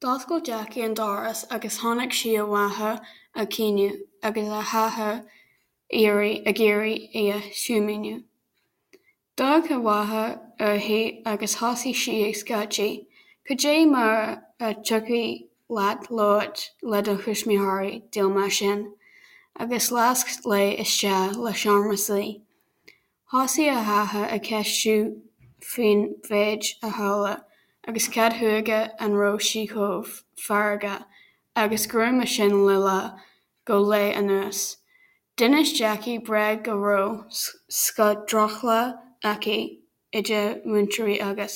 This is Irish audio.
D'oscail Jackie an doras agus chonaic sí a mháthair ag caoineadh agus a hathair ag iarraidh í a shuaimhniú. D'amharc a mháthair uirthi agus thosaigh sí ag scairteadh, "Cad é mar a thiocfadh leat labhairt le do thuismitheoirí dil mar sin?" agus lasc léi isteach sa seomra suí. Thosaigh a hathair ag ceistiú faoin mhéid a tharla agus cad chuige an raibh sí chomh feargach agus gruama sin le lá go léith anuas. D'inis Jackie bréag go raibh drochlá aici idir mhúinteoirí agus.